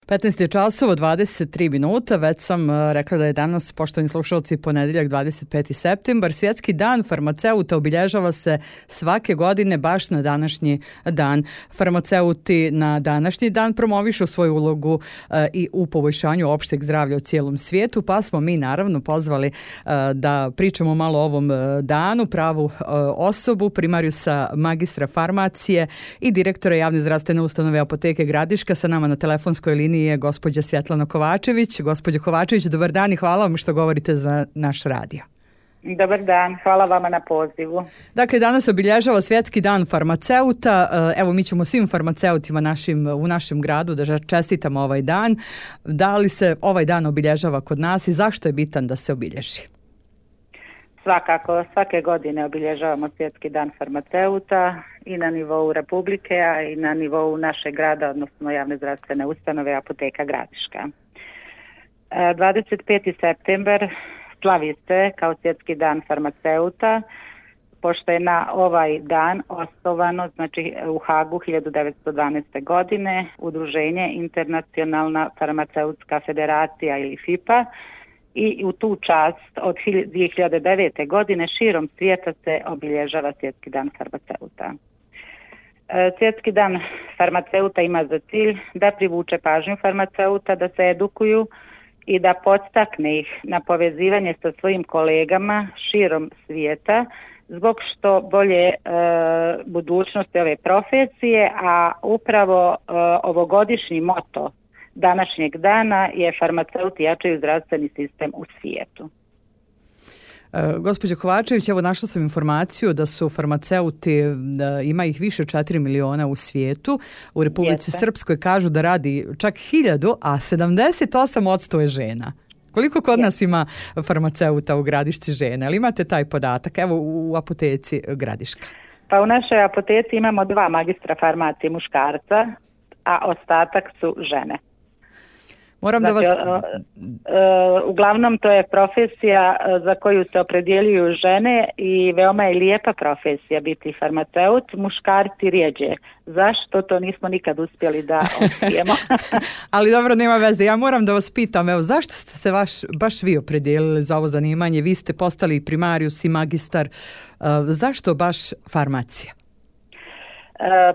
15 je časova, 23 minuta, već sam rekla da je danas, poštovani slušalci, ponedeljak 25. septembar. Svjetski dan farmaceuta obilježava se svake godine baš na današnji dan. Farmaceuti na današnji dan promovišu svoju ulogu i u poboljšanju opšteg zdravlja u cijelom svijetu, pa smo mi naravno pozvali da pričamo malo o ovom danu, pravu osobu, primarijusa magistra farmacije i direktora javne zdravstvene ustanove Apoteke Gradiška. Sa nama na telefonskoj liniji je gospođa Svjetlana Kovačević. Gospođo Kovačević, dobar dan i hvala vam što govorite za naš radio. Dobar dan, hvala vama na pozivu. Dakle, danas obilježava Svjetski dan farmaceuta. Evo, mi ćemo svim farmaceutima u našem gradu da čestitamo ovaj dan. Da li se ovaj dan obilježava kod nas i zašto je bitan da se obilježi? Svakako, svake godine obilježavamo Svjetski dan farmaceuta i na nivou Republike, a i na nivou našeg grada, odnosno javne zdravstvene ustanove Apoteka Gradiška. 25. septembar slavi se kao Svjetski dan farmaceuta, pošto je na ovaj dan osnovano, znači u Hagu 1912. godine, udruženje Internacionalna farmaceutska federacija ili FIPA, i u tu čast od 2009. godine širom svijeta se obilježava Svjetski dan farmaceuta. Svjetski dan farmaceuta ima za cilj da privuče pažnju farmaceuta, da se edukuju i da podstakne ih na povezivanje sa svojim kolegama širom svijeta zbog što bolje budućnosti ove profesije, a upravo ovogodišnji moto današnjeg dana je farmaceuti jačaju zdravstveni sistem u svijetu. Gospođo Kovačević, evo našla sam informaciju da su farmaceuti, ima ih više 4 miliona u svijetu. U Republici Srpskoj kažu da radi čak 1000, a 78% je žena. Koliko kod nas ima farmaceuta u Gradišci žena? Ali imate taj podatak? Evo u Apoteci Gradiška. Pa u našoj apoteci imamo 2 magistra farmacije muškarca, a ostatak su žene. Moram znači, da vas... uglavnom to je profesija za koju se opredjeljuju žene i veoma je lijepa profesija biti farmaceut, muškarci rijeđe. Zašto to nismo nikad uspjeli da otkrijemo? Ali dobro, nema veze. Ja moram da vas pitam, evo, zašto ste se baš vi opredijelili za ovo zanimanje? Vi ste postali primarius i magistar. Zašto baš farmacija?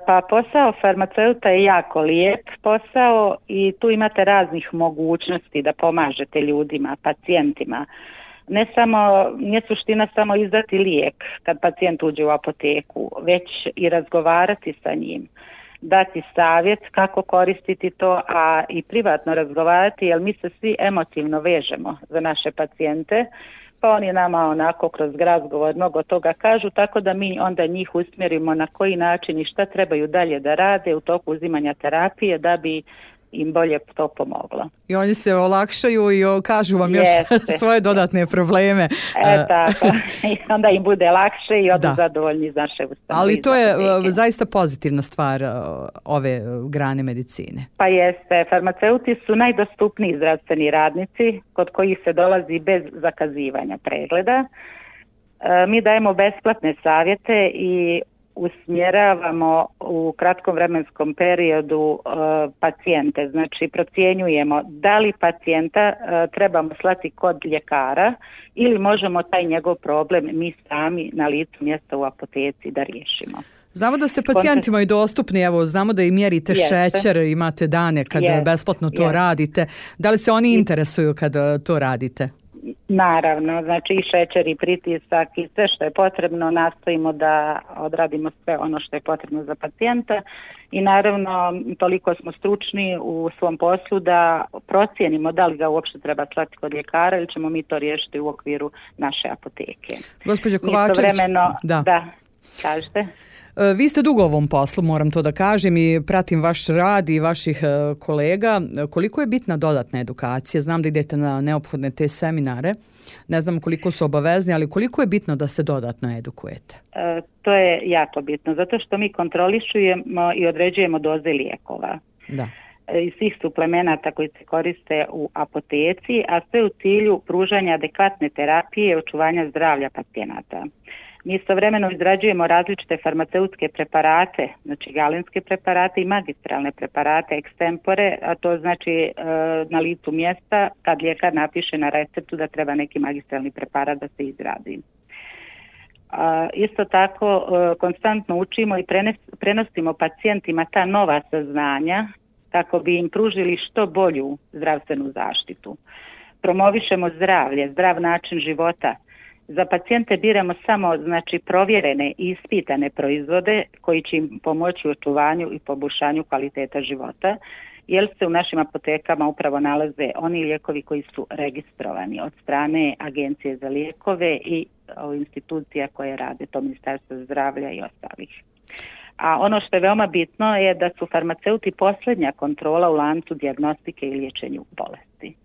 Pa posao farmaceuta je jako lijep posao i tu imate raznih mogućnosti da pomažete ljudima, pacijentima. Nije suština samo izdati lijek kad pacijent uđe u apoteku, već i razgovarati sa njim, dati savjet kako koristiti to, a i privatno razgovarati, jer mi se svi emotivno vežemo za naše pacijente, pa oni nama onako kroz razgovor mnogo toga kažu, tako da mi onda njih usmjerimo na koji način i šta trebaju dalje da rade u toku uzimanja terapije da bi im bolje to pomoglo. I oni se olakšaju i kažu vam još svoje dodatne probleme. Tako. I onda im bude lakše i odu zadovoljni iz naše ustanove. Ali to je zaista pozitivna stvar ove grane medicine. Pa jeste. Farmaceuti su najdostupniji zdravstveni radnici kod kojih se dolazi bez zakazivanja pregleda. Mi dajemo besplatne savjete i usmjeravamo u kratkom vremenskom periodu pacijente, znači procjenjujemo da li pacijenta trebamo slati kod ljekara ili možemo taj njegov problem mi sami na licu mjesta u apoteci da riješimo. Znamo da ste pacijentima i dostupni, evo, znamo da i mjerite šećer, imate dane kad besplatno to radite. Da li se oni interesuju kad to radite? Naravno, znači i šećer i pritisak i sve što je potrebno nastojimo da odradimo sve ono što je potrebno za pacijenta i naravno toliko smo stručni u svom poslu da procijenimo da li ga uopšte treba slati kod ljekara ili ćemo mi to riješiti u okviru naše apoteke. Gospođo Kovačević, da, kažete. Vi ste dugo u ovom poslu, moram to da kažem, i pratim vaš rad i vaših kolega. Koliko je bitna dodatna edukacija? Znam da idete na neophodne te seminare. Ne znam koliko su obavezni, ali koliko je bitno da se dodatno edukujete? To je jako bitno, zato što mi kontrolišujemo i određujemo doze lijekova. Da. I svih suplemenata koji se koriste u apoteci, a sve u cilju pružanja adekvatne terapije i očuvanja zdravlja pacijenata. Mi istovremeno izrađujemo različite farmaceutske preparate, znači galenske preparate i magistralne preparate extempore, a to znači na licu mjesta kad ljekar napiše na receptu da treba neki magistralni preparat da se izradi. Isto tako konstantno učimo i prenosimo pacijentima ta nova saznanja kako bi im pružili što bolju zdravstvenu zaštitu. Promovišemo zdravlje, zdrav način života. Za pacijente biramo samo znači provjerene i ispitane proizvode koji će im pomoći u očuvanju i poboljšanju kvaliteta života, jer se u našim apotekama upravo nalaze oni lijekovi koji su registrovani od strane Agencije za lijekove i institucija koje rade, to Ministarstvo zdravlja i ostalih. A ono što je veoma bitno je da su farmaceuti posljednja kontrola u lancu dijagnostike i liječenju bolesti.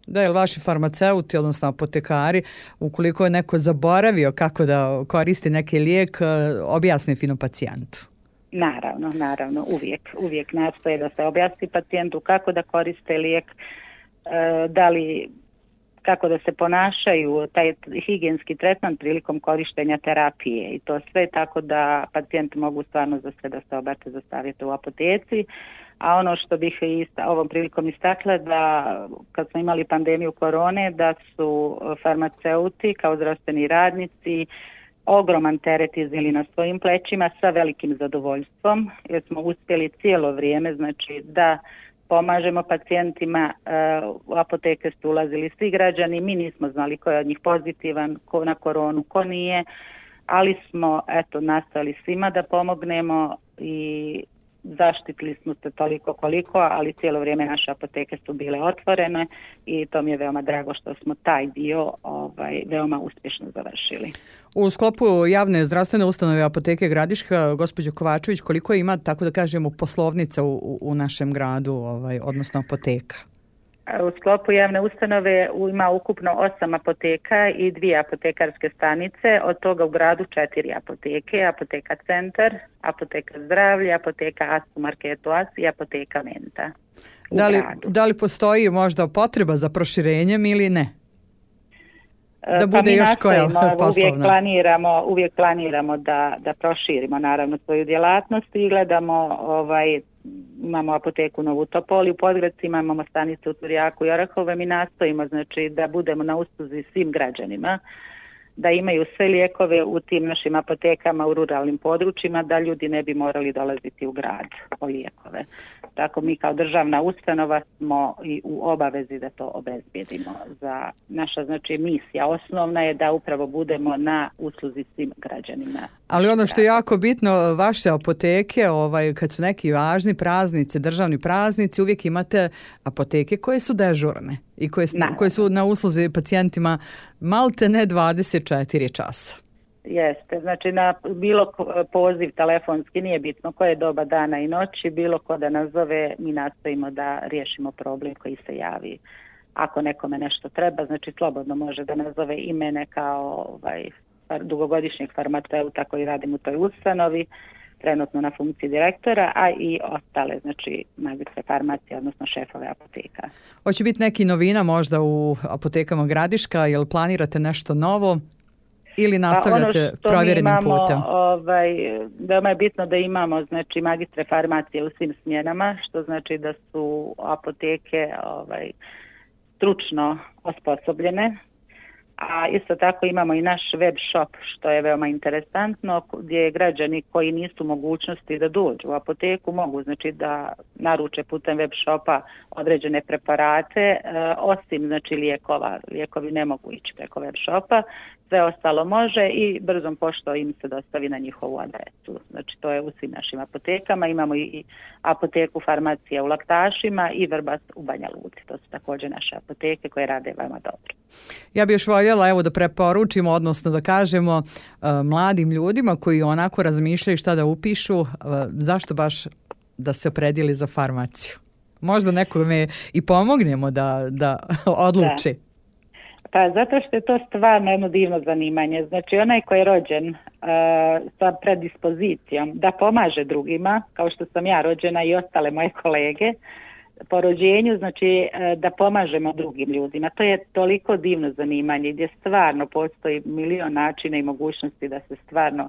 Da, jer vaši farmaceuti, odnosno apotekari, ukoliko je neko zaboravio kako da koristi neki lijek, objasni fino pacijentu. Naravno, uvijek nastoje da se objasni pacijentu kako da koriste lijek, kako da se ponašaju, taj higijenski tretman prilikom korištenja terapije i to sve tako da pacijenti mogu stvarno za sve da se obrate za savjete u apoteci. A ono što bih ovom prilikom istakla da kad smo imali pandemiju korone da su farmaceuti kao zdravstveni radnici ogroman teret iznijeli na svojim plećima sa velikim zadovoljstvom jer smo uspjeli cijelo vrijeme znači da pomažemo pacijentima, u apoteke su ulazili svi građani, mi nismo znali ko je od njih pozitivan, ko na koronu, ko nije, ali smo nastojali svima da pomognemo i zaštitili smo se toliko koliko, ali cijelo vrijeme naše apoteke su bile otvorene i to mi je veoma drago što smo taj dio veoma uspješno završili. U sklopu javne zdravstvene ustanove Apoteke Gradiška, gospođo Kovačević, koliko ima, tako da kažemo, poslovnica u našem gradu, odnosno apoteka? U sklopu javne ustanove ima ukupno 8 apoteka i 2 apotekarske stanice, od toga u gradu 4 apoteke, Apoteka Centar, Apoteka Zdravlje, Apoteka As u marketu As i Apoteka Menta. Da li postoji možda potreba za proširenjem ili ne? Da bude još koja poslovna? Uvijek planiramo da proširimo naravno svoju djelatnost i gledamo imamo apoteku u Novu Topoli, u Podgradcima, imamo stanice u Turjaku i Orahove, mi nastojimo znači da budemo na usluzi svim građanima, da imaju sve lijekove u tim našim apotekama u ruralnim područjima, da ljudi ne bi morali dolaziti u grad po lijekove. Tako mi kao državna ustanova smo i u obavezi da to obezbijedimo. Naša znači misija osnovna je da upravo budemo na usluzi svim građanima. Ali ono što je jako bitno, vaše apoteke, kad su neki važni praznici, državni praznici, uvijek imate apoteke koje su dežurne i koje su na usluzi pacijentima malte ne 24 časa. Jeste, znači na bilo poziv telefonski, nije bitno koje doba dana i noći, bilo ko da nazove, mi nastojimo da riješimo problem koji se javi. Ako nekome nešto treba, znači slobodno može da nazove i mene kao dugogodišnjeg farmaceuta koji radim u toj ustanovi, trenutno na funkciji direktora, a i ostale, znači magistre farmacije, odnosno šefove apoteka. Hoće biti neki novina možda u apotekama Gradiška, jel planirate nešto novo? Ili nastavljate provjerenim putem? Veoma je bitno da imamo znači magistre farmacije u svim smjenama, što znači da su apoteke stručno osposobljene. A isto tako imamo i naš web shop, što je veoma interesantno, gdje građani koji nisu mogućnosti da dođu u apoteku mogu znači da naruče putem web shopa određene preparate, osim znači lijekova. Lijekovi ne mogu ići preko web shopa, sve ostalo može i brzom poštom im se dostavi na njihovu adresu. Znači to je u svim našim apotekama. Imamo i apoteku farmacije u Laktašima i Vrbas u Banja Luci. To su također naše apoteke koje rade veoma dobro. Ja bih još voljela da preporučimo, odnosno da kažemo mladim ljudima koji onako razmišljaju šta da upišu, zašto baš da se opredijeli za farmaciju. Možda nekome i pomognemo da odluči. Da. Pa zato što je to stvarno jedno divno zanimanje. Znači onaj koji je rođen sa predispozicijom da pomaže drugima, kao što sam ja rođena i ostale moje kolege, po rođenju, znači da pomažemo drugim ljudima. To je toliko divno zanimanje gdje stvarno postoji milion načina i mogućnosti da se stvarno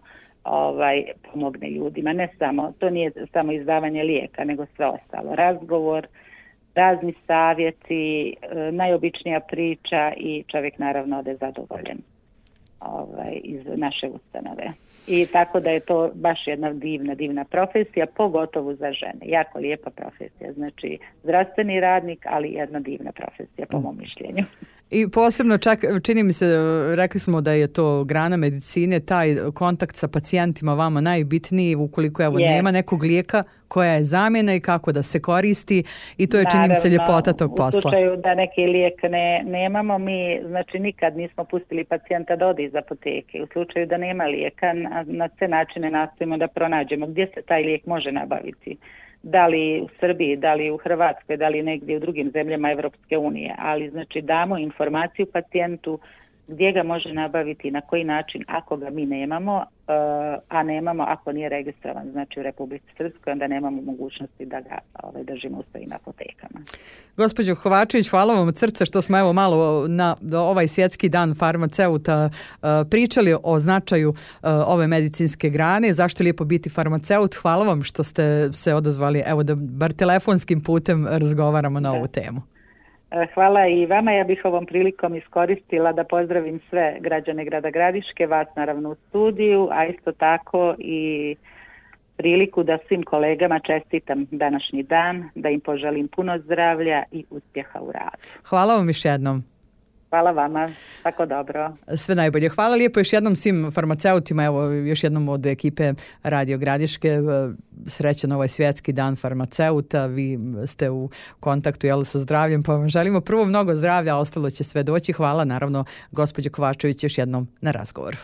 pomogne ljudima. Ne samo, to nije samo izdavanje lijeka, nego sve ostalo. Razgovor, razni savjeti, najobičnija priča i čovjek naravno ode zadovoljen iz naše ustanove. I tako da je to baš jedna divna profesija, pogotovo za žene. Jako lijepa profesija. Znači, zdravstveni radnik, ali jedna divna profesija, po mom mišljenju. I posebno čak, čini mi se, rekli smo da je to grana medicine, taj kontakt sa pacijentima vama najbitniji ukoliko nema nekog lijeka, koja je zamjena i kako da se koristi i to je, čini mi se, ljepota tog posla. U slučaju da neki lijek nemamo, mi znači nikad nismo pustili pacijenta da ode iz apoteke. U slučaju da nema lijeka, na sve načine nastojimo da pronađemo gdje se taj lijek može nabaviti. Da li u Srbiji, da li u Hrvatskoj, da li negdje u drugim zemljama Evropske unije, ali znači damo informaciju pacijentu gdje ga može nabaviti, na koji način ako ga mi nemamo, a nemamo ako nije registrovan, znači u Republici Srpskoj, onda nemamo mogućnosti da ga držimo u svojim apotekama. Gospođo Kovačević, hvala vam od srca što smo evo malo na ovaj svjetski dan farmaceuta pričali o značaju ove medicinske grane, zašto je lijepo biti farmaceut. Hvala vam što ste se odazvali, evo da bar telefonskim putem razgovaramo na ovu temu. Hvala i vama. Ja bih ovom prilikom iskoristila da pozdravim sve građane grada Gradiške, vas naravno u studiju, a isto tako i priliku da svim kolegama čestitam današnji dan, da im poželim puno zdravlja i uspjeha u radu. Hvala vam još jednom. Hvala vama, tako dobro. Sve najbolje. Hvala lijepo još jednom svim farmaceutima, evo još jednom od ekipe Radio Gradiške. Srećan ovaj svjetski dan farmaceuta, vi ste u kontaktu sa zdravljem, pa vam želimo prvo mnogo zdravlja, a ostalo će sve doći. Hvala naravno gospođo Kovačević još jednom na razgovor.